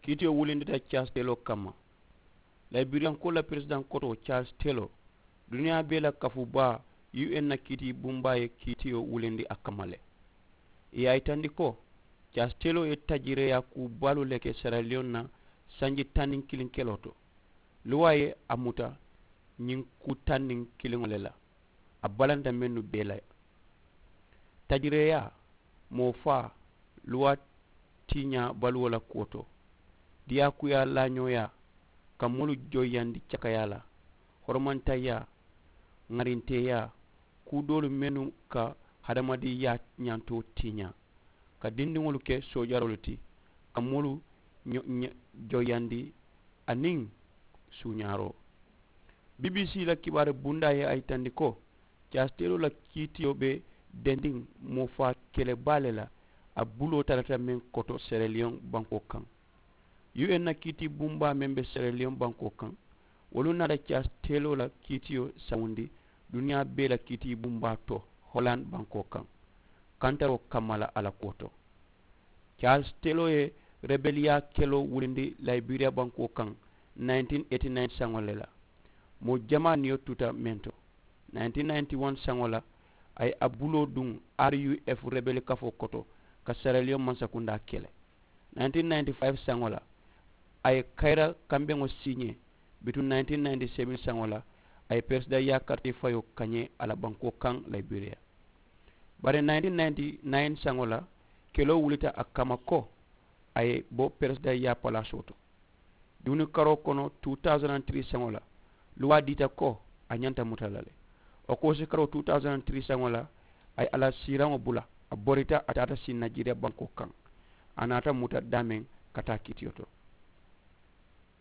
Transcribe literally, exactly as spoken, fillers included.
Kiitiyo wulindita caasi teloo kamma. Layibiriyankoo la peresidaŋ kotoo caasi teloo, duniyaa bee la kafuu baa, u n na kiitii bumbaa ye kiitiyo wulindi a kamma le. Ì ye a yitandi ko caasi teloo ye tajireeyaa kuu baalu le ke seraliyoŋ na sanji taŋ niŋ kiliŋ keloo to. Luwaa ye a muta ñiŋ kuu taŋ niŋ kiliŋo le la. A balanta mennu bee la. Tajireeyaa, moo faa, luwaa tiiñaa baluwo la kuwo to, diyaakuyaa laañooyaa, ka moolu joyiyandi cakayaa la, horomantayaa, ŋarinteeyaa, kuu doolu mennu ka hadamadiŋyaa ñantoo tiiñaa, ka dindiŋolu ke soojaroolu ti, ka moolu joyiyandi, aniŋ suuñaaroo. Bbc la kibaari bundaa ye a yitandi ko caasi teloo la kiitiyo be dendiŋ moo faa kele baa le la. A buloo tarata meŋ koto seraliyoŋ bankoo kaŋ, u n na kiitii bumbaa meŋ be seraliyoŋ bankoo kaŋ, wolu naata caasi teloo la kiitiyo sawundi duniyaa bee la kiitii bumbaa to, holand bankoo kaŋ, kantaroo kamma la a la kuwo to. Caasi teloo ye rebeliyaa keloo wulindi layibiriya bankoo kaŋ nineteen eighty nine saŋo le la. Moo jamaa niyo tuta meŋ to, nineteen ninety one saŋo la a ye a buloo duŋ, ruf rebeli kafoo koto, ka seraliyoŋ mansakundaa kele. Nineteen ninety five saŋo la a ye kayira kambeŋo siiñee. Bituŋ nineteen ninety seven saŋo la a ye peresidaŋ yaakariti fayoo kañee a la bankoo kaŋ layibiriya. Bari nineteen ninety nine saŋo la keloo wulita a kamma ko a ye bo peresidaŋ yaa palaasoo to. Duuni karoo kono two thousand and three saŋo la luwaa diita ko a ñanta muta la le. Okoosi karoo two thousand and three saŋo la a ye a la siiraŋo bula, a borita a taata sii najeriya bankoo kaŋ. A naata muta daameŋ ka taa kiitiyo to.